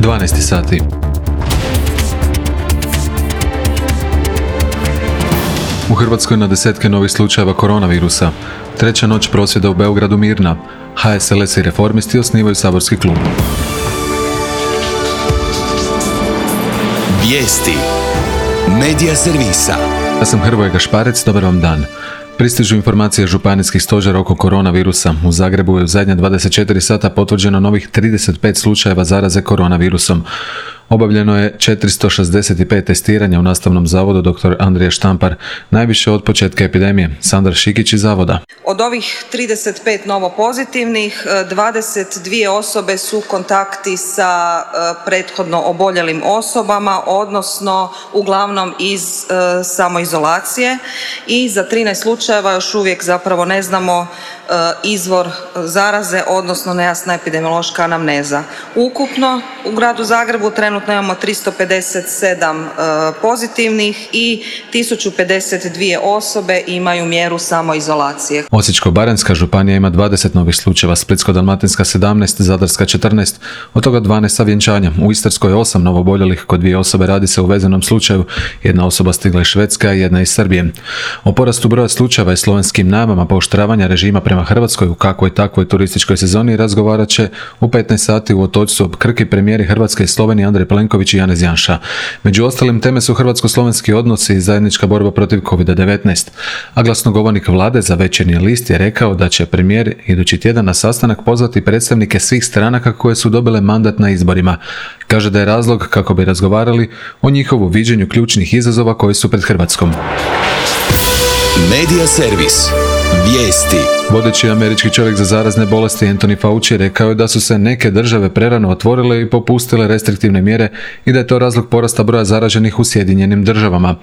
12 sati. U Hrvatskoj na desetke novih slučajeva koronavirusa. Treća noć prosvjeda u Beogradu mirna. HSLS i Reformisti osnivaju saborski klub. Vijesti. Medija servisa. Ja sam Hrvoje Gašparec, dobar vam dan. Pristižu informacije županijskih stožera oko koronavirusa. U Zagrebu je u zadnja 24 sata potvrđeno novih 35 slučajeva zaraze koronavirusom. Obavljeno je 465 testiranja u Nastavnom zavodu dr. Andrija Štampar, najviše od početka epidemije. Sandra Šikić iz zavoda. Od ovih 35 novopozitivnih, 22 osobe su kontakti sa prethodno oboljelim osobama, odnosno uglavnom iz samoizolacije, i za 13 slučajeva još uvijek zapravo ne znamo izvor zaraze, odnosno nejasna epidemiološka anamneza. Ukupno u gradu Zagrebu trenutno imamo 357 pozitivnih i 1052 osobe imaju mjeru samoizolacije. Osječko-baranjska županija ima 20 novih slučajeva, Splitsko-dalmatinska 17, Zadarska 14, od toga 12 sa vjenčanja. U Istarskoj je 8 novoboljelih, kod 2 osobe radi se o vezanom slučaju, jedna osoba stigla iz Švedske, a jedna iz Srbije. O porastu broja slučajeva i slovenskim najavama pooštravanja režima prema Hrvatskoj u kakvoj takvoj turističkoj sezoni razgovarat će u 15 sati u Otočcu Krki premijeri Hrvatske i Slovenije Andrej Plenković i Janez Janša. Među ostalim teme su hrvatsko-slovenski odnosi i zajednička borba protiv COVID-19. A glasnogovornik vlade za Večernji list je rekao da će premijer idući tjedan na sastanak pozvati predstavnike svih stranaka koje su dobile mandat na izborima. Kaže da je razlog kako bi razgovarali o njihovu viđenju ključnih izazova koji su pred Hrvatskom. Medija servis. Vijesti. Vodeći američki čovjek za zarazne bolesti Anthony Fauci rekao je da su se neke države prerano otvorile i popustile restriktivne mjere i da je to razlog porasta broja zaraženih u Sjedinjenim državama.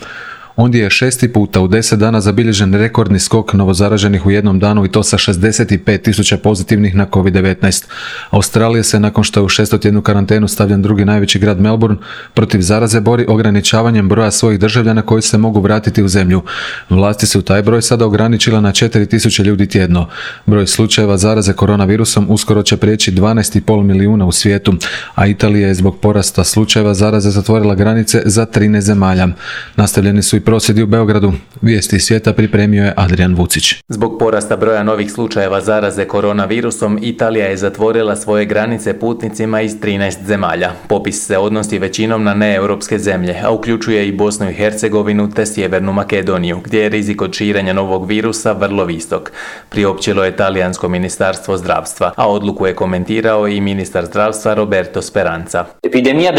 Ondje je 6. puta u 10 dana zabilježen rekordni skok novozaraženih u jednom danu, i to sa 65.000 pozitivnih na COVID-19. Australija se, nakon što je u 600-tjednu karantenu stavljen drugi najveći grad Melbourne, protiv zaraze bori ograničavanjem broja svojih državljana koji se mogu vratiti u zemlju. Vlasti su taj broj sada ograničila na 4.000 ljudi tjedno. Broj slučajeva zaraze koronavirusom uskoro će prijeći 12,5 milijuna u svijetu, a Italija je zbog porasta slučajeva zaraze zatvorila granice za 13 zemalja. Nastavljeni su i prosvjedi u Beogradu. Vijesti svijeta pripremio je Adrian Vucić. Zbog porasta broja novih slučajeva zaraze koronavirusom, Italija je zatvorila svoje granice putnicima iz 13 zemalja. Popis se odnosi većinom na neeuropske zemlje, a uključuje i Bosnu i Hercegovinu te Sjevernu Makedoniju, gdje je rizik od širenja novog virusa vrlo visok, priopćilo je talijansko ministarstvo zdravstva, a odluku je komentirao i ministar zdravstva Roberto Speranza. Epidemija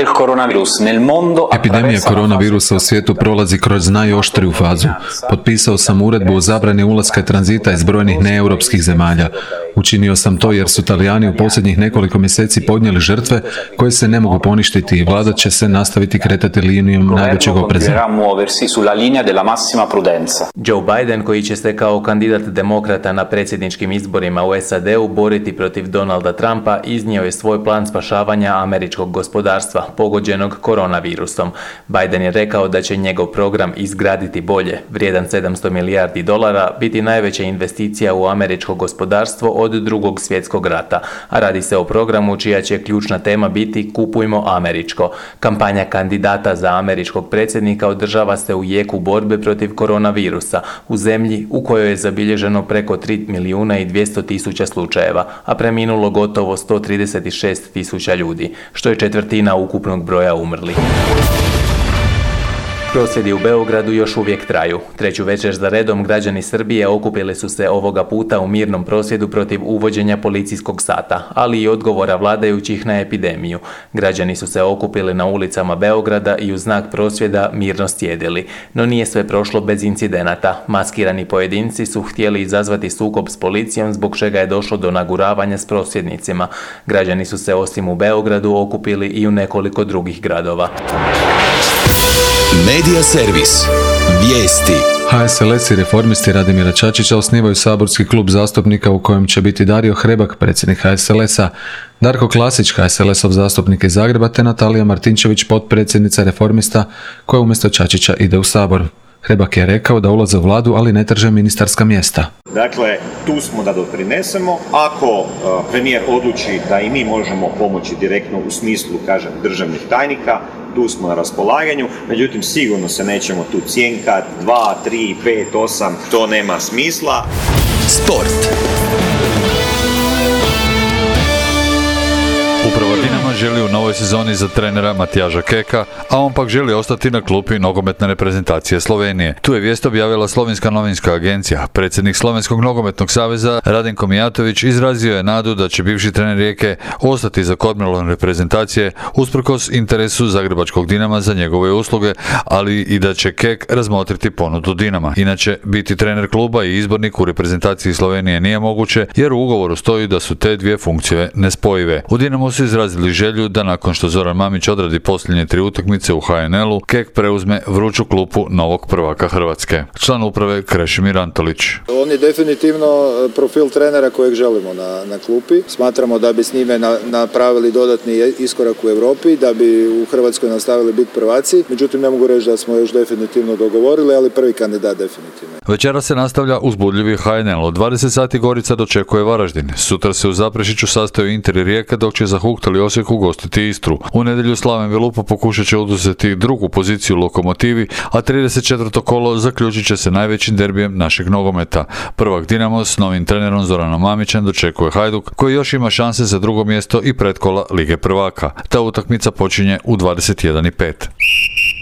koronavirusa u svijetu prolazi kroz najoštriju fazu. Potpisao sam uredbu o zabrani ulaska i tranzita iz brojnih neeuropskih zemalja. Učinio sam to jer su Talijani u posljednjih nekoliko mjeseci podnijeli žrtve koje se ne mogu poništiti i vlada će se nastaviti kretati linijom najvećeg opreza. Joe Biden, koji će se kao kandidat demokrata na predsjedničkim izborima u SAD-u boriti protiv Donalda Trumpa, iznio je svoj plan spašavanja američkog gospodarstva pogođenog koronavirusom. Biden je rekao da će njegov program Izgraditi bolje, vrijedan $700 milijardi, biti najveća investicija u američko gospodarstvo od Drugog svjetskog rata, a radi se o programu čija će ključna tema biti Kupujmo američko. Kampanja kandidata za američkog predsjednika održava se u jeku borbe protiv koronavirusa, u zemlji u kojoj je zabilježeno preko 3.200.000 slučajeva, a preminulo gotovo 136.000 ljudi, što je četvrtina ukupnog broja umrlih. Prosvjedi u Beogradu još uvijek traju. Treću večer za redom građani Srbije okupili su se ovoga puta u mirnom prosvjedu protiv uvođenja policijskog sata, ali i odgovora vladajućih na epidemiju. Građani su se okupili na ulicama Beograda i u znak prosvjeda mirno sjedili. No nije sve prošlo bez incidenata. Maskirani pojedinci su htjeli izazvati sukob s policijom, zbog čega je došlo do naguravanja s prosvjednicima. Građani su se osim u Beogradu okupili i u nekoliko drugih gradova. Medija servis. Vijesti. HSLS i Reformisti Radimira Čačića osnivaju saborski klub zastupnika u kojem će biti Dario Hrebak, predsjednik HSLS-a, Darko Klasić, HSLS-ov zastupnik iz Zagreba, te Natalija Martinčević, potpredsjednica Reformista, koja umjesto Čačića ide u Sabor. Hrebak je rekao da ulaze u vladu, ali ne traže ministarska mjesta. Dakle, tu smo da doprinesemo. Ako premijer odluči da i mi možemo pomoći direktno u smislu, kažem, državnih tajnika, tu smo na raspolaganju, međutim sigurno se nećemo tu cjenkati 2, 3, 5, 8, to nema smisla. Sport. Upravo Dinamo želi u novoj sezoni za trenera Matijaža Keka, a on pak želi ostati na klupi nogometne reprezentacije Slovenije. Tu je vijest objavila Slovenska novinska agencija. Predsjednik Slovenskog nogometnog saveza Radenko Mijatović izrazio je nadu da će bivši trener Rijeke ostati za kormilon reprezentacije usprkos interesu zagrebačkog Dinama za njegove usluge, ali i da će Kek razmotriti ponudu Dinama. Inače, biti trener kluba i izbornik u reprezentaciji Slovenije nije moguće, jer u ugovoru stoji da su te dvije funkcije nespojive. U Dinamu su izrazili želju da nakon što Zoran Mamić odradi posljednje 3 utakmice u HNL-u, Kek preuzme vruću klupu novog prvaka Hrvatske. Član uprave Krešimir Antolić. On je definitivno profil trenera kojeg želimo na klupi. Smatramo da bi s njime napravili dodatni iskorak u Europi, da bi u Hrvatskoj nastavili biti prvaci. Međutim, ne mogu reći da smo još definitivno dogovorili, ali prvi kandidat definitivno. Večera se nastavlja uzbudljivi HNL. U 20 sati Gorica dočekuje Varaždin. Sutra se u Zaprešiću sastaju Inter i Rijeka, dok će zahuktali Osijek ugostiti Istru. U nedjelju Slaven Velupa pokušat će oduzeti drugu poziciju Lokomotivi, a 34. kolo zaključit će se najvećim derbijem našeg nogometa. Prvak Dinamo s novim trenerom Zoranom Mamićem dočekuje Hajduk, koji još ima šanse za drugo mjesto i pretkola Lige prvaka. Ta utakmica počinje u 21:05.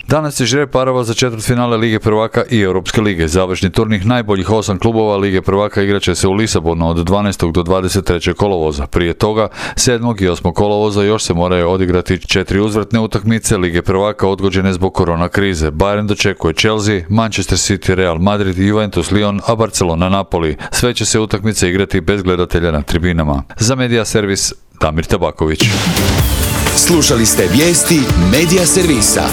Danas se žre parova za četvrtfinale Lige prvaka i Europske lige. Završni turnir najboljih 8 klubova Lige prvaka igraće se u Lisabonu od 12. do 23. kolovoza. Prije toga, 7. i 8. kolovoza još se moraju odigrati 4 uzvratne utakmice Lige prvaka odgođene zbog korona krize. Bayern dočekuje Chelsea, Manchester City, Real Madrid, Juventus, Lyon, a Barcelona Napoli. Sve će se utakmice igrati bez gledatelja na tribinama. Za Medija servis Damir Tabaković. Slušali ste vijesti Medija servisa.